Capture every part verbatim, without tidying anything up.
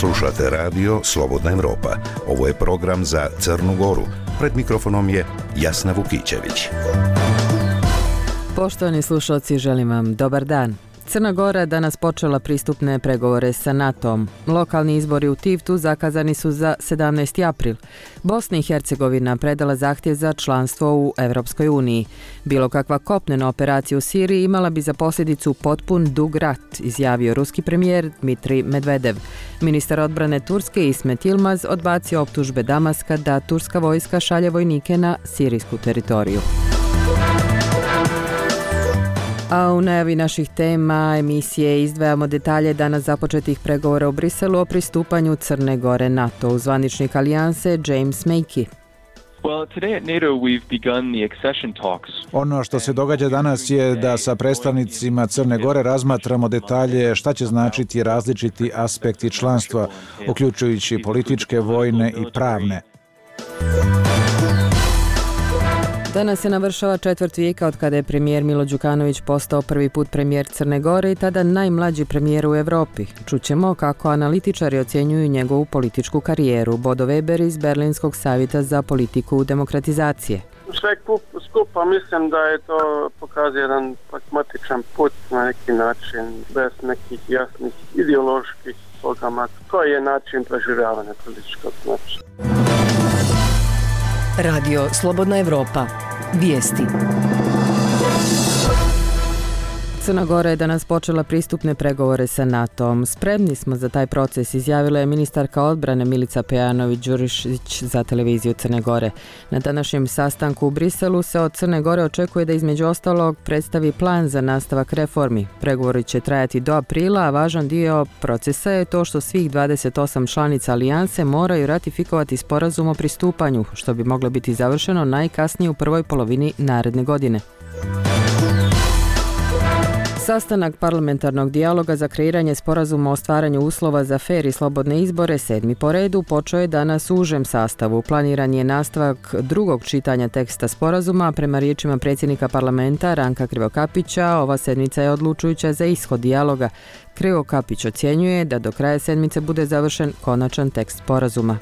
Slušate radio Slobodna Evropa. Ovo je program za Crnu Goru. Pred mikrofonom je Jasna Vukićević. Poštovani slušalci, želim vam dobar dan. Crna Gora danas počela pristupne pregovore sa NATO-om. Lokalni izbori u Tivtu zakazani su za sedamnaesti april. Bosna i Hercegovina predala zahtjev za članstvo u Evropskoj uniji. Bilo kakva kopnena operacija u Siriji imala bi za posljedicu potpun dug rat, izjavio ruski premijer Dmitrij Medvedev. Ministar odbrane Turske Ismet Yilmaz odbacio optužbe Damaska da turska vojska šalje vojnike na sirijsku teritoriju. A u najavi naših tema emisije izdvajamo detalje danas započetih pregovora u Briselu o pristupanju Crne Gore NATO. U zvaničnik alijanse James Makey. Ono što se događa danas je da sa predstavnicima Crne Gore razmatramo detalje šta će značiti različiti aspekti članstva, uključujući političke, vojne i pravne. Danas se navršava četvrt vijeka od kada je premijer Milo Đukanović postao prvi put premijer Crne Gore i tada najmlađi premijer u Evropi. Čućemo kako analitičari ocjenjuju njegovu političku karijeru. Bodo Weber iz Berlinskog savjeta za politiku demokratizacije. Sve skupa mislim da je to pokazuje jedan pragmatičan put na neki način, bez nekih jasnih ideoloških programa. To je način preživljavanja političkog načina. Radio Slobodna Evropa. Vijesti. Crna Gora je danas počela pristupne pregovore sa NATO-om. Spremni smo za taj proces, izjavila je ministarka odbrane Milica Pejanović-Đurišić za televiziju Crne Gore. Na današnjem sastanku u Briselu se od Crne Gore očekuje da između ostalog predstavi plan za nastavak reformi. Pregovori će trajati do aprila, a važan dio procesa je to što svih dvadeset osam članica alijanse moraju ratifikovati sporazum o pristupanju, što bi moglo biti završeno najkasnije u prvoj polovini naredne godine. Sastanak parlamentarnog dijaloga za kreiranje sporazuma o stvaranju uslova za fer i slobodne izbore, sedmi po redu, počeo je danas u užem sastavu. Planiran je nastavak drugog čitanja teksta sporazuma. Prema riječima predsjednika parlamenta Ranka Krivokapića, ova sedmica je odlučujuća za ishod dijaloga. Krivokapić ocjenjuje da do kraja sedmice bude završen konačan tekst sporazuma.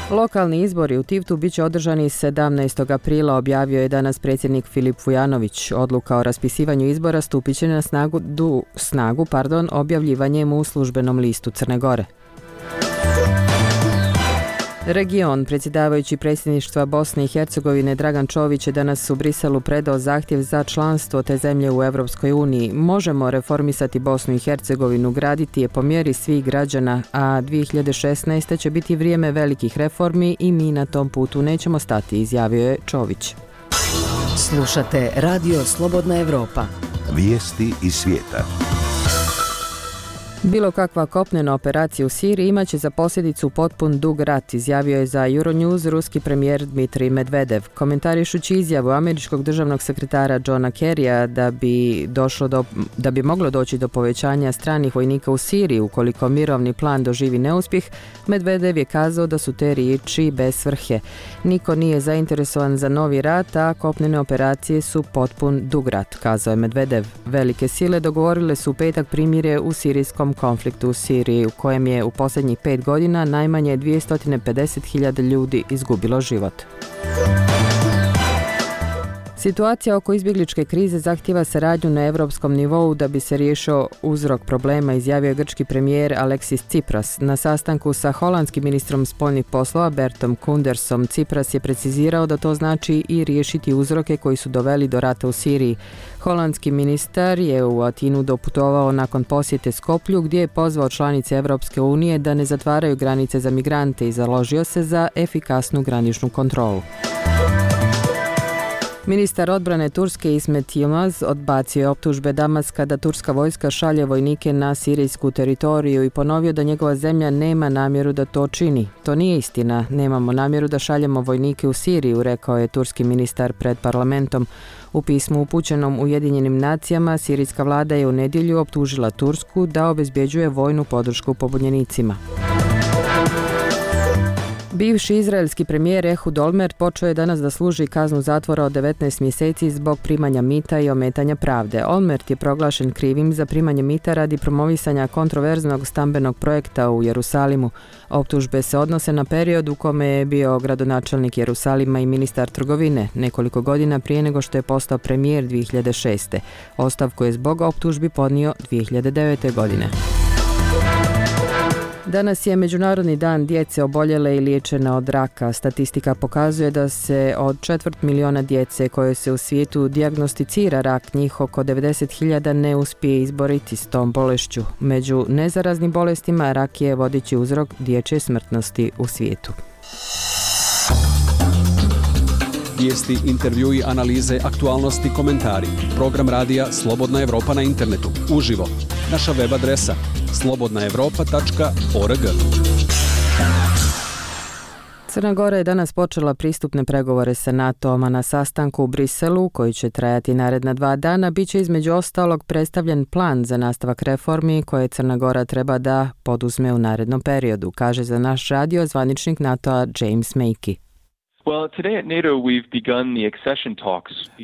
Lokalni izbori u Tivtu bit će održani sedamnaestog aprila, objavio je danas predsjednik Filip Vujanović. Odluka o raspisivanju izbora stupit će na snagu, du, snagu pardon, objavljivanjem u službenom listu Crne Gore. Region, predsjedavajući predsjedništva Bosne i Hercegovine Dragan Čović je danas u Briselu predao zahtjev za članstvo te zemlje u Evropskoj uniji. Možemo reformisati Bosnu i Hercegovinu, graditi je po mjeri svih građana, a dvije hiljade šesnaeste. će biti vrijeme velikih reformi i mi na tom putu nećemo stati, izjavio je Čović. Slušate Radio Slobodna Evropa. Vijesti iz svijeta. Bilo kakva kopnena operacija u Siriji imaće za posljedicu potpun dug rat, izjavio je za Euronews ruski premijer Dmitrij Medvedev. Komentarišući izjavu američkog državnog sekretara Johna Kerrya da bi, došlo do, da bi moglo doći do povećanja stranih vojnika u Siriji ukoliko mirovni plan doživi neuspjeh, Medvedev je kazao da su te riječi bez svrhe. Niko nije zainteresovan za novi rat, a kopnene operacije su potpun dug rat, kazao je Medvedev. Velike sile dogovorile su u petak primirje u sirijskom konfliktu u Siriji, u kojem je u posljednjih pet godina najmanje dvjesto pedeset hiljada ljudi izgubilo život. Situacija oko izbjegličke krize zahtijeva saradnju na europskom nivou da bi se riješio uzrok problema, izjavio je grčki premijer Alexis Tsipras. Na sastanku sa holandskim ministrom spoljnih poslova Bertom Koendersom, Tsipras je precizirao da to znači i riješiti uzroke koji su doveli do rata u Siriji. Holandski ministar je u Atinu doputovao nakon posjete Skoplju, gdje je pozvao članice Evropske unije da ne zatvaraju granice za migrante i založio se za efikasnu graničnu kontrolu. Ministar odbrane Turske Ismet Yilmaz odbacio je optužbe Damaska da turska vojska šalje vojnike na sirijsku teritoriju i ponovio da njegova zemlja nema namjeru da to čini. To nije istina, nemamo namjeru da šaljemo vojnike u Siriju, rekao je turski ministar pred parlamentom. U pismu upućenom Ujedinjenim nacijama, sirijska vlada je u nedjelju optužila Tursku da obezbjeđuje vojnu podršku pobunjenicima. Bivši izraelski premijer Ehud Olmert počeo je danas da služi kaznu zatvora od devetnaest mjeseci zbog primanja mita i ometanja pravde. Olmert je proglašen krivim za primanje mita radi promovisanja kontroverznog stambenog projekta u Jerusalimu. Optužbe se odnose na period u kome je bio gradonačelnik Jerusalima i ministar trgovine, nekoliko godina prije nego što je postao premijer dvije hiljade šeste. Ostavku je zbog optužbi podnio dvije hiljade devete. godine. Danas je Međunarodni dan djece oboljele i liječene od raka. Statistika pokazuje da se od četvrt miliona djece koje se u svijetu dijagnosticira rak, njih oko devedeset hiljada ne uspije izboriti s tom bolešću. Među nezaraznim bolestima rak je vodeći uzrok dječje smrtnosti u svijetu. Vijesti, intervjui, analize, aktualnosti, komentari. Program radija Slobodna Evropa na internetu. Uživo. Naša web adresa slobodna evropa tačka org. Crna Gora je danas počela pristupne pregovore sa NATO-om, a na sastanku u Briselu, koji će trajati naredna dva dana, bit će između ostalog predstavljen plan za nastavak reformi koje Crna Gora treba da poduzme u narednom periodu, kaže za naš radio zvaničnik NATO-a James Makey.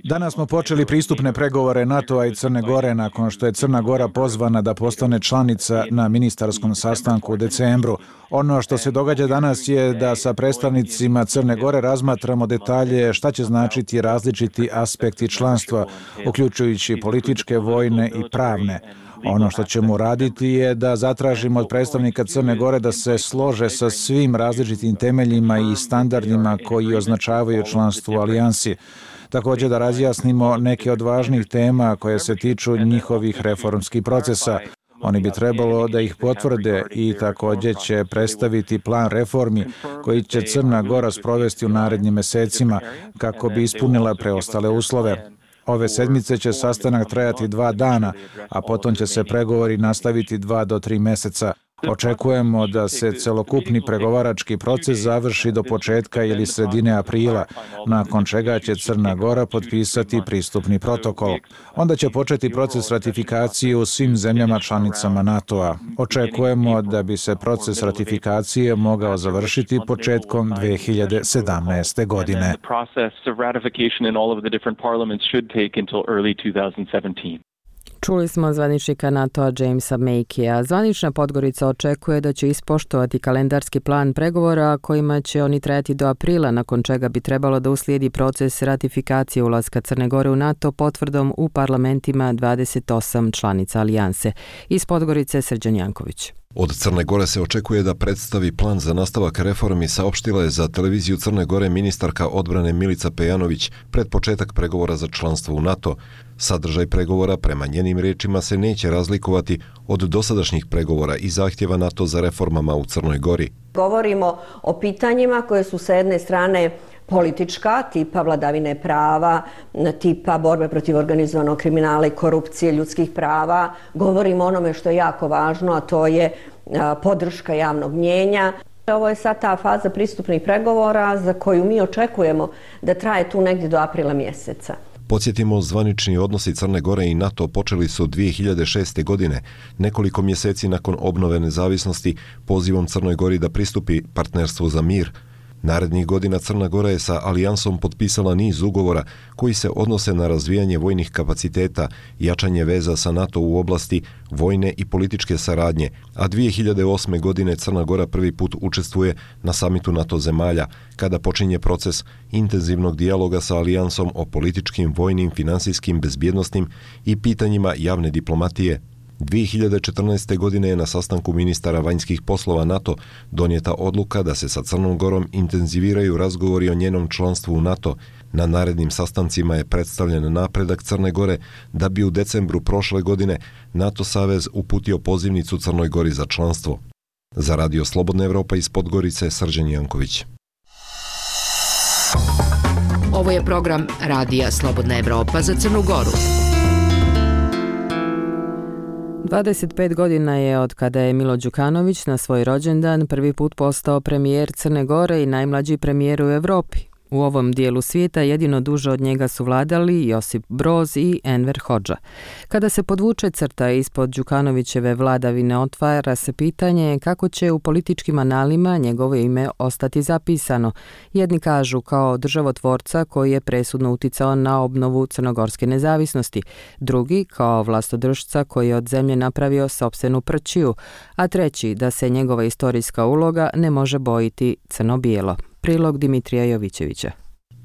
Danas smo počeli pristupne pregovore NATO-a i Crne Gore nakon što je Crna Gora pozvana da postane članica na ministarskom sastanku u decembru. Ono što se događa danas je da sa predstavnicima Crne Gore razmatramo detalje šta će značiti različiti aspekti članstva, uključujući političke, vojne i pravne. Ono što ćemo raditi je da zatražimo od predstavnika Crne Gore da se slože sa svim različitim temeljima i standardima koji označavaju članstvo u alijansi. Također da razjasnimo neke od važnih tema koje se tiču njihovih reformskih procesa. Oni bi trebalo da ih potvrde i također će predstaviti plan reformi koji će Crna Gora sprovesti u narednim mesecima kako bi ispunila preostale uslove. Ove sedmice će sastanak trajati dva dana, a potom će se pregovori nastaviti dva do tri meseca. Očekujemo da se celokupni pregovarački proces završi do početka ili sredine aprila, nakon čega će Crna Gora potpisati pristupni protokol. Onda će početi proces ratifikacije u svim zemljama članicama NATO-a. Očekujemo da bi se proces ratifikacije mogao završiti početkom dvije hiljade sedamnaeste. godine. Čuli smo zvaničnika NATO-a Jamesa Makeya. Zvanična Podgorica očekuje da će ispoštovati kalendarski plan pregovora kojima će oni trajati do aprila, nakon čega bi trebalo da uslijedi proces ratifikacije ulaska Crne Gore u NATO potvrdom u parlamentima dvadeset osam članica alijanse. Iz Podgorice Srđan Janković. Od Crne Gore se očekuje da predstavi plan za nastavak reformi, saopštila je za televiziju Crne Gore ministarka odbrane Milica Pejanović pred početak pregovora za članstvo u NATO. Sadržaj pregovora prema njenim riječima se neće razlikovati od dosadašnjih pregovora i zahtjeva NATO za reformama u Crnoj Gori. Govorimo o pitanjima koje su sa jedne strane politička, tipa vladavine prava, tipa borbe protiv organizovanog kriminala i korupcije, ljudskih prava. Govorimo o onome što je jako važno, a to je podrška javnog mnjenja. Ovo je sad ta faza pristupnih pregovora za koju mi očekujemo da traje tu negdje do aprila mjeseca. Podsjetimo, zvanični odnosi Crne Gore i NATO počeli su dvije hiljade šeste. godine, nekoliko mjeseci nakon obnove nezavisnosti, pozivom Crnoj Gori da pristupi partnerstvu za mir. Narednih godina Crna Gora je sa alijansom potpisala niz ugovora koji se odnose na razvijanje vojnih kapaciteta, jačanje veza sa NATO u oblasti vojne i političke saradnje, a dvije hiljade osme. godine Crna Gora prvi put učestvuje na samitu NATO zemalja, kada počinje proces intenzivnog dijaloga sa alijansom o političkim, vojnim, finansijskim, bezbjednosnim i pitanjima javne diplomatije. dvije hiljade četrnaeste. godine je na sastanku ministara vanjskih poslova NATO donijeta odluka da se sa Crnom Gorom intenziviraju razgovori o njenom članstvu u NATO. Na narednim sastancima je predstavljen napredak Crne Gore da bi u decembru prošle godine NATO savez uputio pozivnicu Crnoj Gori za članstvo. Za radio Slobodna Evropa iz Podgorice, Srđan Janković. Ovo je program radija Slobodna Evropa za Crnu Goru. dvadeset pet godina je od kada je Milo Đukanović na svoj rođendan prvi put postao premijer Crne Gore i najmlađi premijer u Evropi. U ovom dijelu svijeta jedino duže od njega su vladali Josip Broz i Enver Hodža. Kada se podvuče crta ispod Đukanovićeve vladavine, otvara se pitanje kako će u političkim analima njegovo ime ostati zapisano. Jedni kažu kao državotvorca koji je presudno uticao na obnovu crnogorske nezavisnosti, drugi kao vlastodržca koji je od zemlje napravio sopstvenu prćiju, a treći da se njegova istorijska uloga ne može bojiti crno-bijelo. Prilog Dimitrija Jovićevića.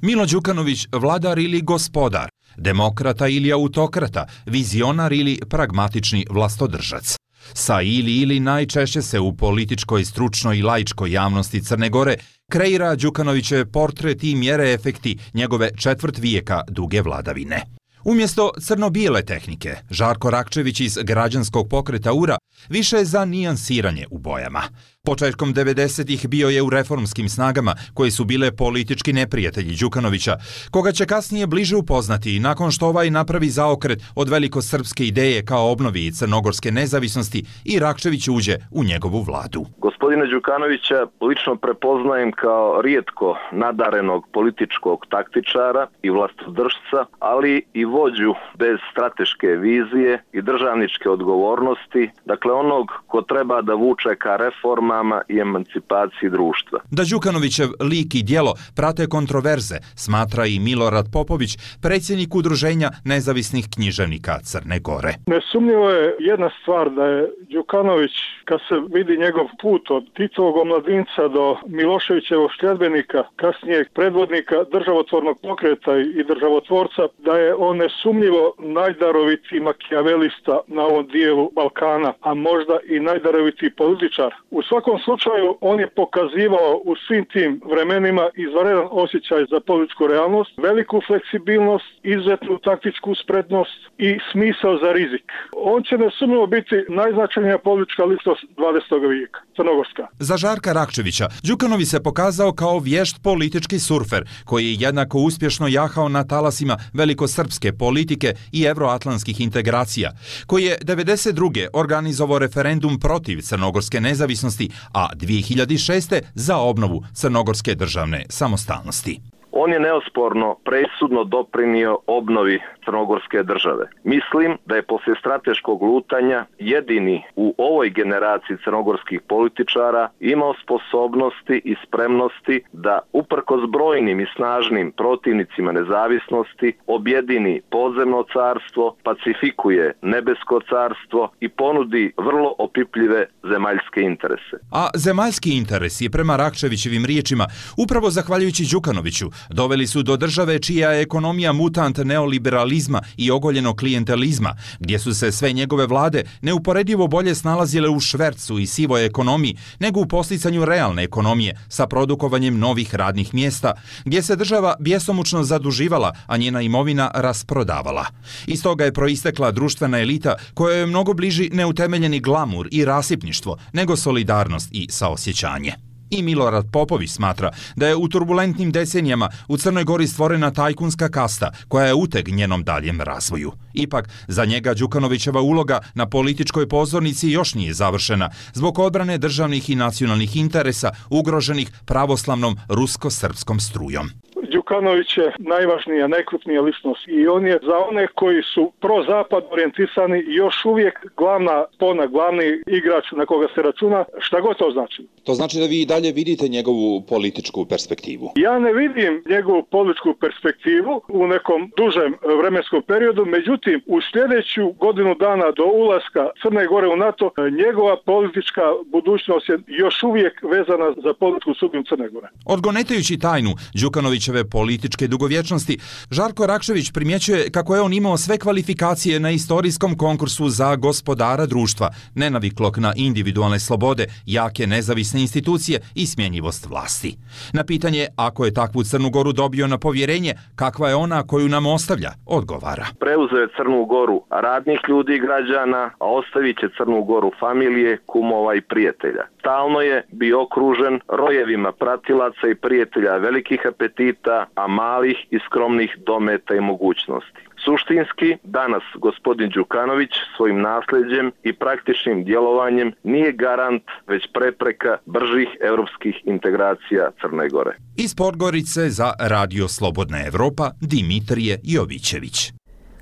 Milo Đukanović vladar ili gospodar, demokrata ili autokrata, vizionar ili pragmatični vlastodržac. Sa ili ili najčešće se u političkoj, stručnoj i laičkoj javnosti Crne Gore kreira Đukanovićev portret i mjere efekti njegove četvrt vijeka duge vladavine. Umjesto crno-bijele tehnike, Žarko Rakčević iz građanskog pokreta U R A više je za nijansiranje u bojama. Početkom devedesetih bio je u reformskim snagama koje su bile politički neprijatelji Đukanovića, koga će kasnije bliže upoznati nakon što ovaj napravi zaokret od velikosrpske ideje kao obnovi crnogorske nezavisnosti i Rakčević uđe u njegovu vladu. Gospodina Đukanovića lično prepoznajem kao rijetko nadarenog političkog taktičara i vlastodržca, ali i vođu bez strateške vizije i državničke odgovornosti, dakle onog ko treba da vuče ka reforma i emancipaciji društva. Da Đukanovićev lik i djelo prate kontroverze, smatra i Milorad Popović, predsjednik Udruženja nezavisnih književnika Crne Gore. Nesumnjivo je jedna stvar da je Đukanović, kad se vidi njegov put od Titovog omladinca do Miloševićevog sljedbenika, kasnije predvodnika državotvornog pokreta i državotvorca, da je on nesumnjivo najdarovitiji makijavelista na ovom dijelu Balkana, a možda i najdarovitiji političar. U svakom slučaju on je pokazivao u svim tim vremenima izvanredan osjećaj za političku realnost, veliku fleksibilnost, izuzetnu taktičku spretnost i smisao za rizik. On će nesumnjivo biti najznačajnija politička ličnost dvadesetog vijeka, crnogorska. Za Žarka Rakčevića Đukanović se pokazao kao vješt politički surfer koji je jednako uspješno jahao na talasima velikosrpske politike i evroatlantskih integracija, koji je devedeset druge organizovao referendum protiv crnogorske nezavisnosti, a dvije hiljade šeste za obnovu crnogorske državne samostalnosti. On je neosporno presudno doprinio obnovi crnogorske države. Mislim da je poslije strateškog lutanja jedini u ovoj generaciji crnogorskih političara imao sposobnosti i spremnosti da uprkos brojnim i snažnim protivnicima nezavisnosti objedini podzemno carstvo, pacifikuje nebesko carstvo i ponudi vrlo opipljive zemaljske interese. A zemaljski interesi, prema Rakčevićevim riječima, upravo zahvaljujući Đukanoviću, doveli su do države čija je ekonomija mutant neoliberalizma i ogoljenog klijentelizma, gdje su se sve njegove vlade neuporedivo bolje snalazile u švercu i sivoj ekonomiji nego u posticanju realne ekonomije sa produkovanjem novih radnih mjesta, gdje se država bjesomučno zaduživala, a njena imovina rasprodavala. Iz toga je proistekla društvena elita koja je mnogo bliži neutemeljeni glamur i rasipništvo nego solidarnost i saosjećanje. I Milorad Popović smatra da je u turbulentnim decenijama u Crnoj Gori stvorena tajkunska kasta koja je uteg njenom daljem razvoju. Ipak, za njega Đukanovićeva uloga na političkoj pozornici još nije završena zbog odbrane državnih i nacionalnih interesa ugroženih pravoslavnom rusko-srpskom strujom. Đukanović je najvažnija, najkrupnija ličnost i on je za one koji su pro-zapad orijentisani još uvijek glavna spona, glavni igrač na koga se računa, šta god to znači. To znači da vi i dalje vidite njegovu političku perspektivu? Ja ne vidim njegovu političku perspektivu u nekom dužem vremenskom periodu, međutim u sljedeću godinu dana do ulaska Crne Gore u NATO njegova politička budućnost je još uvijek vezana za političku sudbinu Crne Gore. Odgonetajući tajnu Đukanovićeve političke dugovječnosti, Žarko Rakčević primjećuje kako je on imao sve kvalifikacije na istorijskom konkursu za gospodara društva, nenaviklog na individualne slobode, jake nezavisne institucije i smjenjivost vlasti. Na pitanje ako je takvu Crnu Goru dobio na povjerenje, kakva je ona koju nam ostavlja, odgovara. Preuzeo je Crnu Goru radnih ljudi i građana, a ostavit će Crnu Goru familije, kumova i prijatelja. Stalno je bio okružen rojevima pratilaca i prijatelja velikih apetita rada, a malih i skromnih dometa i mogućnosti. Suštinski, danas gospodin Đukanović svojim nasljeđem i praktičnim djelovanjem nije garant, već prepreka bržih europskih integracija Crne Gore. Iz Podgorice za Radio Slobodna Evropa Dimitrije Jovićević.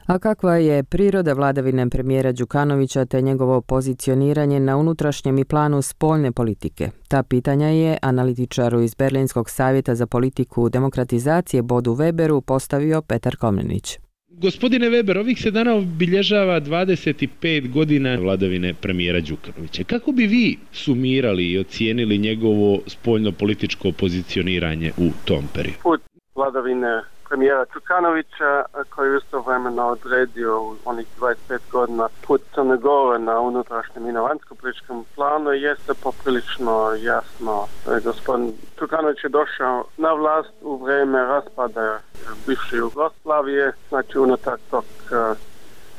A kakva je priroda vladavine premijera Đukanovića te njegovo pozicioniranje na unutrašnjem i planu spoljne politike? Ta pitanja je analitičaru iz Berlinskog savjeta za politiku demokratizacije Bodu Weberu postavio Petar Komnenić. Gospodine Weber, ovih se dana obilježava dvadeset pet godina vladavine premijera Đukanovića. Kako bi vi sumirali i ocijenili njegovo spoljno-političko pozicioniranje u tom periodu? Put vladavine premijera Đukanovića, koji je istovremeno odredio u onih dvadeset pet godina put Crne Gore na unutrašnjem i na vanjsko-političkom planu, jeste poprilično jasno. Gospodin Đukanović je došao na vlast u vrijeme raspada bivše Jugoslavije, znači unutar tog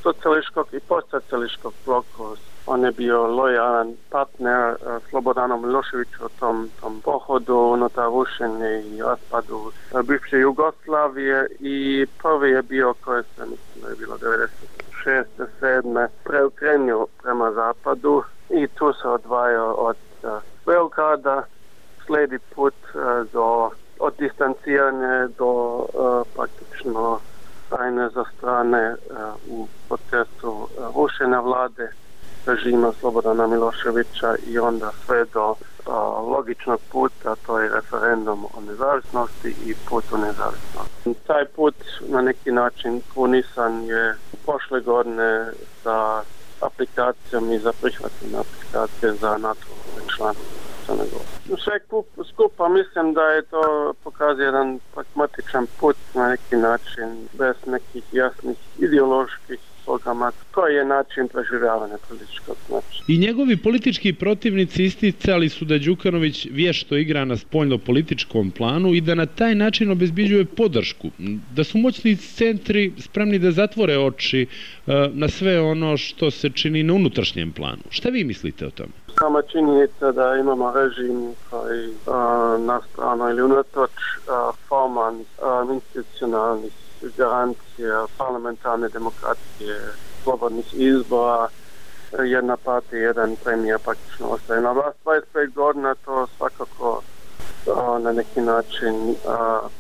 socijalističkog i postsocijalističkog bloka. On je bio lojalan partner Slobodanu Miloševiću u tom, tom pohodu unutar rušenja i raspadu bivše Jugoslavije i prvi je bio, koji se mislim da je bilo devedeset šeste sedme preokrenio prema zapadu i tu se odvajao od Beograda, slijedi put do, od distanciranja do uh, praktično tajne za strane uh, u procesu uh, rušenja vlade režima Slobodana Miloševića i onda sve do uh, logičnog puta, to je referendum o nezavisnosti i put u nezavisnost. Taj put na neki način krunisan je prošle godine sa aplikacijom i za prihvatne aplikacije za NATO članstvo. Sve skupa mislim da je to pokazuje jedan pragmatičan put na neki način, bez nekih jasnih ideoloških programa. Koji je način preživljavanja političkog znači. I njegovi politički protivnici isticali su da Đukanović vješto igra na spoljno-političkom planu i da na taj način obezbeđuje podršku. Da su moćni centri spremni da zatvore oči uh, na sve ono što se čini na unutrašnjem planu. Šta vi mislite o tome? Sama činjenica da imamo režim koji uh, na stranu ili unatoč uh, formalnih, uh, institucionalnih garancija, parlamentarne demokracije, slobodnih izbora, jedna partija, jedan premijer praktično ostaje na vlast. dvadeset pet godina to svakako uh, na neki način uh,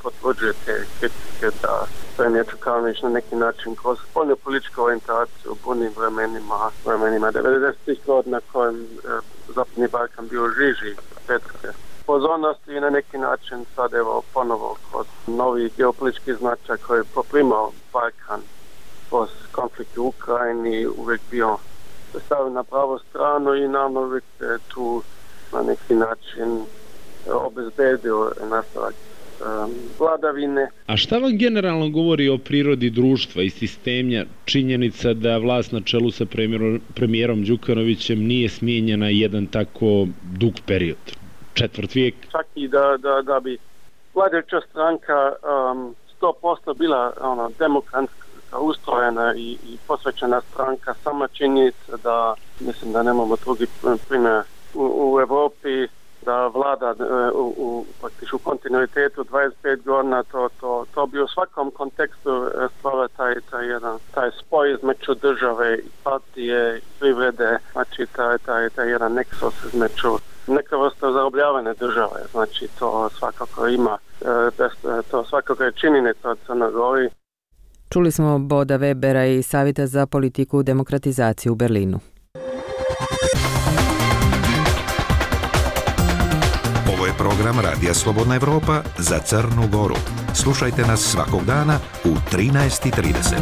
potvrđuje te kritike da premijer Đukanović na neki način kroz spoljnu političku orijentaciju u bunim vremenima, vremenima devedesetih godina kojem uh, Zapadni Balkan bio žiži petke pozornosti i na neki način sad evo ponovo kroz novi geopolitički značaj koji je poprimao Balkan kroz konflikt u Ukrajini uvijek bio stavljen na pravu stranu i nam uvijek tu na neki način obezbedio nastavak um, vladavine. A šta vam generalno govori o prirodi društva i sistemja činjenica da vlast na čelu sa premijerom, premijerom Đukanovićem nije smijenjena jedan tako dug period? Četvrt vijek. Čak i da, da, da bi vladajuća stranka um, sto posto bila ono, demokratska ustrojena i, i posvećena stranka, sama činjenica da mislim da nemamo drugi primjer u, u Europi da vlada u, u, praktično u kontinuitetu dvadeset pet godina, to, to, to bi u svakom kontekstu stvara taj, taj, jedan, taj spoj između države i partije i privrede, znači taj, taj, taj jedan neksos između neka vrsta zarobljavanja države, znači to svakako ima, to svakako je činjenica od Crne Gore. Čuli smo Boda Webera iz Savjeta za politiku demokratizacije u Berlinu. Ovo je program Radija Slobodna Evropa za Crnu Goru. Slušajte nas svakog dana u trinaest i trideset.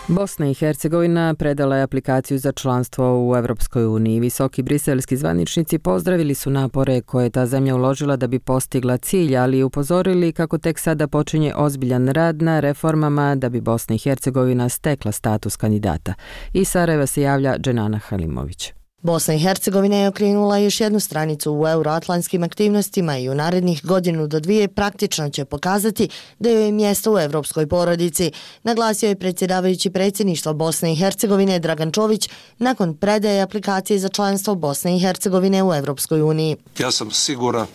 Bosna i Hercegovina predala je aplikaciju za članstvo u Evropskoj uniji. Visoki briselski zvaničnici pozdravili su napore koje je ta zemlja uložila da bi postigla cilj, ali upozorili kako tek sada počinje ozbiljan rad na reformama da bi Bosna i Hercegovina stekla status kandidata. Iz Sarajeva se javlja Dženana Halimović. Bosna i Hercegovina je okrenula još jednu stranicu u euroatlantskim aktivnostima i u narednih godinu do dvije praktično će pokazati da joj je mjesto u evropskoj porodici, naglasio je predsjedavajući predsjedništva Bosne i Hercegovine Dragan Čović nakon predaje aplikacije za članstvo Bosne i Hercegovine u Evropskoj uniji. Ja sam siguran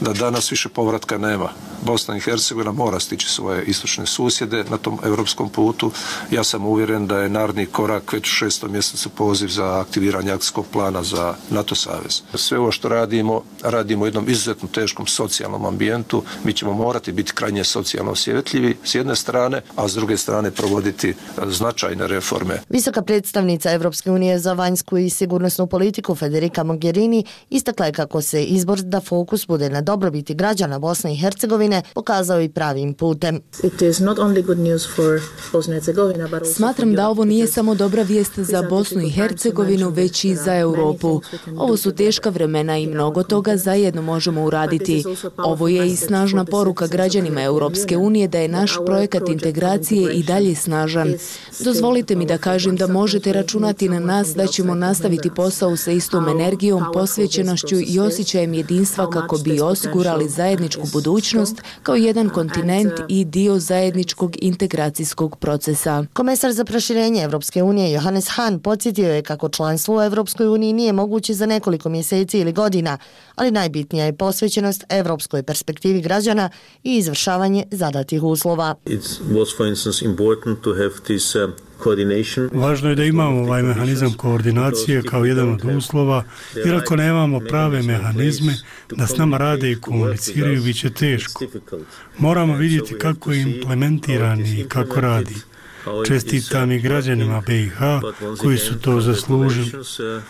da danas više povratka nema. Bosna i Hercegovina mora stići svoje istočne susjede na tom europskom putu. Ja sam uvjeren da je naredni korak već u šestom mjesecu poziv za aktiviranje akcijskog plana za NATO savez. Sve ovo što radimo, radimo u jednom izuzetno teškom socijalnom ambijentu. Mi ćemo morati biti krajnje socijalno osjetljivi s jedne strane, a s druge strane provoditi značajne reforme. Visoka predstavnica Evropske unije za vanjsku i sigurnosnu politiku Federica Mogherini istakla je kako se izbor da fokus bude na dobrobiti građana Bosne i Hercegovine pokazao i pravim putem. Smatram da ovo nije samo dobra vijest za Bosnu i Hercegovinu, već i za Europu. Ovo su teška vremena i mnogo toga zajedno možemo uraditi. Ovo je i snažna poruka građanima Europske unije da je naš projekat integracije i dalje snažan. Dozvolite mi da kažem da možete računati na nas da ćemo nastaviti posao sa istom energijom, posvećenošću i osjećajem jedinstva kako bi osigurali zajedničku budućnost kao jedan kontinent i dio zajedničkog integracijskog procesa. Komesar za proširenje Evropske unije Johannes Hahn podsjetio je kako članstvo u Evropskoj uniji nije moguće za nekoliko mjeseci ili godina, ali najbitnija je posvećenost evropskoj perspektivi građana i izvršavanje zadatih uslova. Važno je da imamo ovaj mehanizam koordinacije kao jedan od uslova, jer ako nemamo prave mehanizme da s nama rade i komuniciraju, bit će teško. Moramo vidjeti kako je implementiran i kako radi. Čestitam i građanima B i H koji su to zaslužili.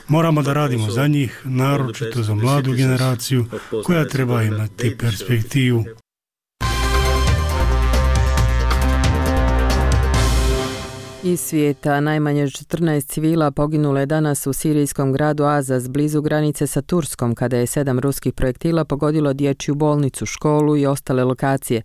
Moramo da radimo za njih, naročito za mladu generaciju koja treba imati perspektivu. Iz svijeta najmanje četrnaest civila poginulo je danas u sirijskom gradu Azaz blizu granice sa Turskom kada je sedam ruskih projektila pogodilo dječju bolnicu, školu i ostale lokacije.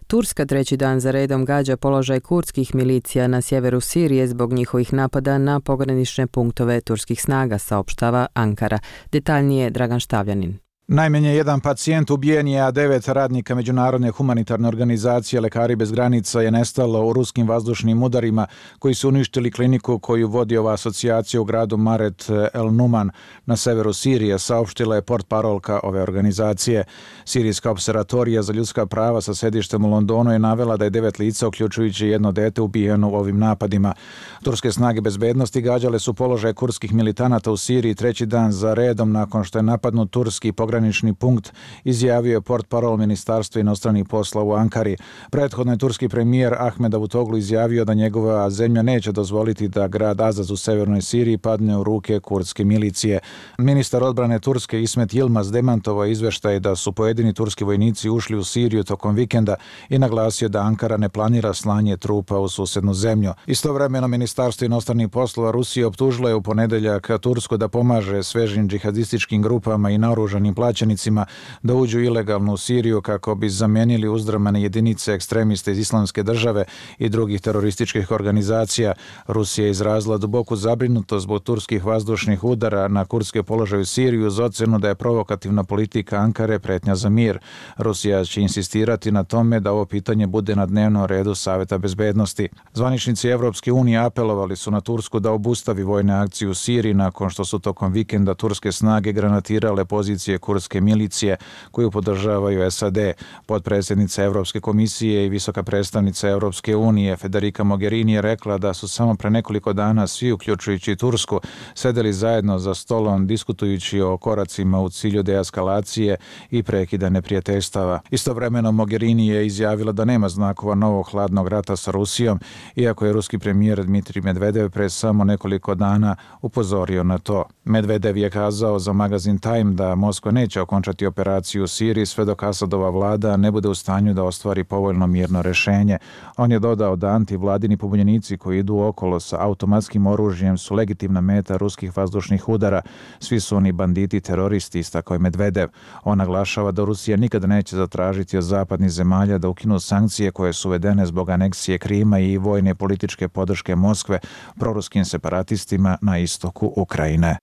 Turska treći dan za redom gađa položaj kurdskih milicija na sjeveru Sirije zbog njihovih napada na pogranične punktove turskih snaga, saopštava Ankara. Detaljnije Dragan Štavljanin. Najmanje jedan pacijent ubijen je, a devet radnika Međunarodne humanitarne organizacije Lekari bez granica je nestalo u ruskim vazdušnim udarima koji su uništili kliniku koju vodi ova asocijacija u gradu Maret El Numan na severu Sirije, saopštila je portparolka ove organizacije. Sirijska observatorija za ljudska prava sa sedištem u Londonu je navela da je devet lica, uključujući jedno dete, ubijeno u ovim napadima. Turske snage bezbednosti gađale su položaj kurdskih militanata u Siriji treći dan za redom nakon što je napadnut turski pogranični punkt, izjavio je portparol Ministarstva inostranih posla u Ankari. Prethodno je turski premijer Ahmed Davutoglu izjavio da njegova zemlja neće dozvoliti da grad Azaz u severnoj Siriji padne u ruke kurdske milicije. Ministar odbrane Turske Ismet Yilmaz demantovao izveštaj da su pojedini turski vojnici ušli u Siriju tokom vikenda i naglasio da Ankara ne planira slanje trupa u susednu zemlju. Istovremeno Ministarstvo inostranih poslova Rusije optužilo je u ponedeljak Tursku da pomaže svežim džihadističkim grupama i naoružanim plaćenicima da uđu ilegalno u Siriju kako bi zamijenili uzdrmane jedinice ekstremiste iz Islamske države i drugih terorističkih organizacija. Rusija je izrazila duboku zabrinutost zbog turskih vazdušnih udara na kurdske položaje u Siriju uz ocenu da je provokativna politika Ankare pretnja za mir. Rusija će insistirati na tome da ovo pitanje bude na dnevnom redu Saveta bezbednosti. Zvaničnici Evropske unije apelovali su na Tursku da obustavi vojne akcije u Siriji nakon što su tokom vikenda turske snage granatirale pozicije kurdske milicije koju podržavaju S A D. Potpredsjednica Evropske komisije i visoka predstavnica Evropske unije Federica Mogherini je rekla da su samo pre nekoliko dana svi, uključujući Tursku, sedeli zajedno za stolom diskutujući o koracima u cilju deeskalacije i prekida neprijateljstava. Istovremeno Mogherini je izjavila da nema znakova novog hladnog rata sa Rusijom, iako je ruski premijer Dmitrij Medvedev pre samo nekoliko dana upozorio na to. Medvedev je kazao za magazin Time da Moskva neće okončati operaciju u Siriji sve dok Asadova vlada ne bude u stanju da ostvari povoljno mirno rešenje. On je dodao da antivladini pobunjenici koji idu okolo sa automatskim oružjem su legitimna meta ruskih vazdušnih udara. Svi su oni banditi, teroristi, istakao je Medvedev. On naglašava da Rusija nikada neće zatražiti od zapadnih zemalja da ukinu sankcije koje su uvedene zbog aneksije Krima i vojne političke podrške Moskve proruskim separatistima na istoku Ukrajine.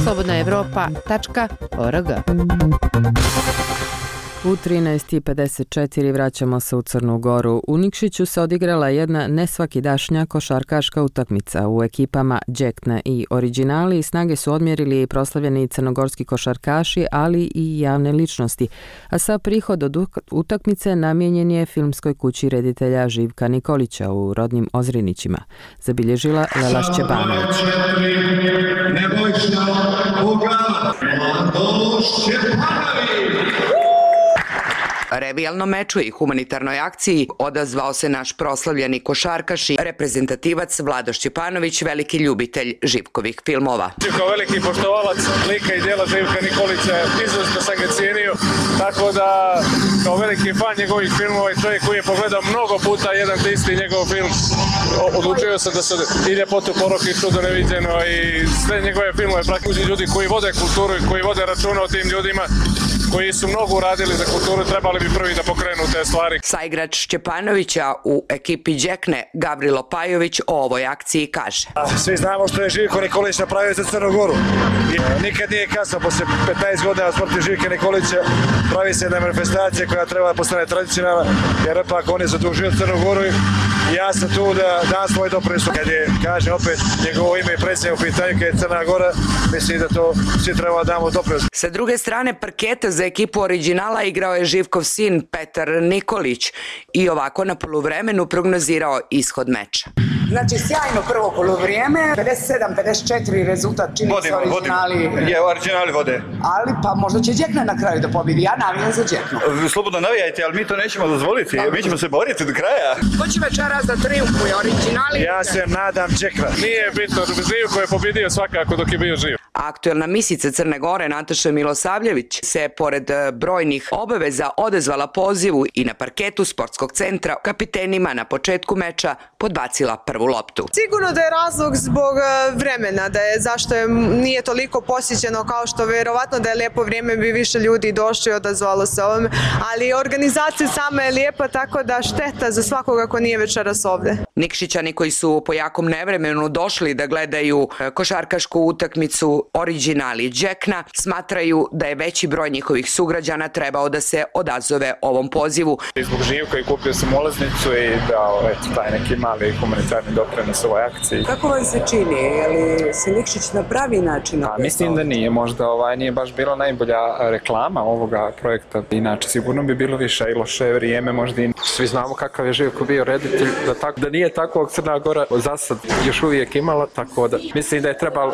slobodna evropa tačka org. U trinaest i pedeset četiri vraćamo se u Crnu Goru. U Nikšiću se odigrala jedna nesvakidašnja košarkaška utakmica u ekipama Đekna i Originali. Snage su odmjerili i proslavljeni crnogorski košarkaši, ali i javne ličnosti. A sa prihod od utakmice namijenjen je filmskoj kući reditelja Živka Nikolića u rodnim Ozrinićima. Zabilježila Lela Šćepanović. Nebojša Boga, Mladoš Šćepanović! Revijalnom meču i humanitarnoj akciji odazvao se naš proslavljeni košarkaš i reprezentativac Vlado Šćepanović, veliki ljubitelj Živkovih filmova. Kao veliki poštovalac lika i djela Živka Nikolića, izvršno sam ga cijenio, tako da kao veliki fan njegovih filmova i čovjek koji je pogledao mnogo puta jedan te isti njegov film, odlučio sam da se i Ljepotu, Porok i Čudo neviđeno i sve njegove filmove praktično ljudi koji vode kulturu i koji vode računa o tim ljudima koji su mnogo uradili za kulturu, trebali bi prvi da pokrenu te stvari. Saigrač Šćepanovića u ekipi Đekne, Gavrilo Pajović, o ovoj akciji kaže. Svi znamo što je Živko Nikolić napravio za Crnu Goru. Nikad nije kasno, posle petnaest godina smrti Živka Nikolića pravi se jedna manifestacija koja treba da postane tradicionalna, jer ipak on je zadužio Crnu Goru i ja sam tu da dam svoj doprinos. Kad je, kažem opet, njegovo ime i predsjednje u pitanju, kad je Crna Gora, mislim da to svi treba da damo doprinos. Sa druge strane parketa za ekipu Originala igrao je Živkov sin Petar Nikolić i ovako na poluvremenu prognozirao ishod meča. Znači, sjajno prvo poluvrijeme, pedeset sedam pedeset četiri rezultat čini se Originali. Je, Originali vode. Ali pa možda će Đekna na kraju da pobjedi, ja navijam za Đeknu. Slobodno navijajte, ali mi to nećemo dozvoliti, mi ćemo se boriti do kraja. Ko će večeras da triumfuje, Originali? Ja se nadam Đekna. Nije bitno, Živko je pobjedio svakako dok je bio živ. Aktuelna misica Crne Gore Nataša Milosavljević se pored brojnih obaveza odezvala pozivu i na parketu sportskog centra kapitenima na početku meča podbacila prvu loptu. Sigurno da je razlog zbog vremena, da je zašto je, nije toliko posjećeno kao što verovatno da je lijepo vrijeme bi više ljudi došli i odazvalo se ovome, ali organizacija sama je lijepa, tako da šteta za svakoga ko nije večeras ovdje. Nikšićani koji su po jakom nevremenu došli da gledaju košarkašku utakmicu Originali Đekna smatraju da je veći broj njihovih sugrađana trebao da se odazove ovom pozivu. Zbog Živka i kupio sam ulaznicu i dao eto, taj neki mali humanitarni doprinos ovoj akciji. Kako vam se čini? Je li se Nikšić na pravi način? A, mislim da nije. Možda ovaj nije baš bila najbolja reklama ovoga projekta. Inače, sigurno bi bilo više i loše vrijeme. Možda i svi znamo kakav je Živko bio reditelj. Da, tako, da nije takvog Crna Gora za sad još uvijek imala, tako da mislim da je trebalo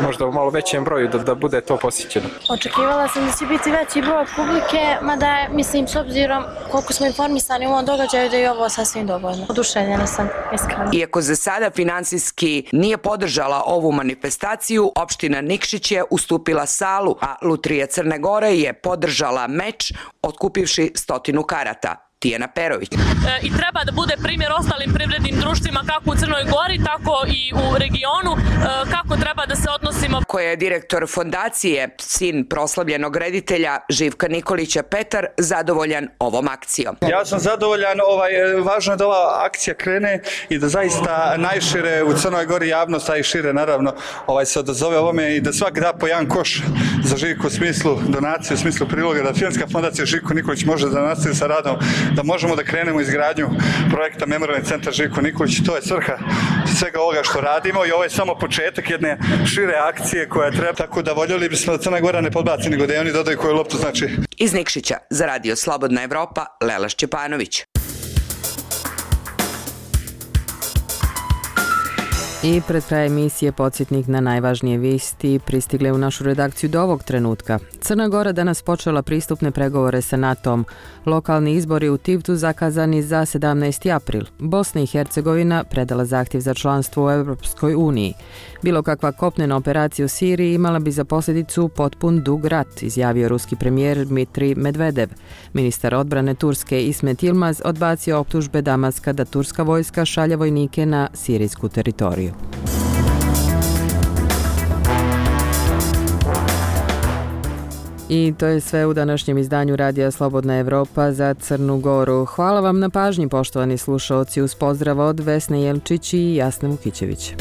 možda u malo većem broju da, da bude to posjećeno. Očekivala sam da će biti veći broj publike, mada je, mislim, s obzirom koliko smo informisani u ovom događaju, da je ovo sasvim dovoljno. Oduševljena sam, iskreno. Iako za sada finansijski nije podržala ovu manifestaciju, opština Nikšić je ustupila salu, a Lutrija Crne Gore je podržala meč, otkupivši stotinu karata. Tijana Perović. E, I treba da bude primjer ostalim privrednim društvima kako u Crnoj Gori, tako i u regionu, e, kako treba da se odnosimo. Koja je direktor fondacije, sin proslavljenog reditelja Živka Nikolića Petar, zadovoljan ovom akcijom. Ja sam zadovoljan, ovaj, važno je da ova akcija krene i da zaista najšire u Crnoj Gori javnost, a i šire naravno ovaj, se odazove ovome i da svak da po jedan koš za Živku u smislu donacije, u smislu priloga, da Filmska fondacija Živko Nikolić može da nastavi sa radom, da možemo da krenemo izgradnju projekta Memorijalni centar Živko Nikolić. To je svrha svega ovoga što radimo i ovo je samo početak jedne šire akcije koja treba, tako da voljeli bismo da Crna Gora ne podbaci, nego da i oni dodaju koju loptu znači. Iz Nikšića za Radio Slobodna Evropa, Lela Šćepanović. I pred kraj emisije podsjetnik na najvažnije vijesti pristigle u našu redakciju do ovog trenutka. Crna Gora danas počela pristupne pregovore sa NATO-om. Lokalni izbori u Tivtu zakazani za sedamnaesti april. Bosna i Hercegovina predala zahtjev za članstvo u Europskoj uniji. Bilo kakva kopnena operacija u Siriji imala bi za posljedicu potpun dug rat, izjavio ruski premijer Dmitrij Medvedev. Ministar odbrane Turske Ismet Yilmaz odbacio optužbe Damaska da turska vojska šalje vojnike na sirijsku teritoriju. I to je sve u današnjem izdanju Radija Slobodna Evropa za Crnu Goru. Hvala vam na pažnji, poštovani slušaoci, uz pozdrav od Vesne Jelčić i Jasne Vukićević.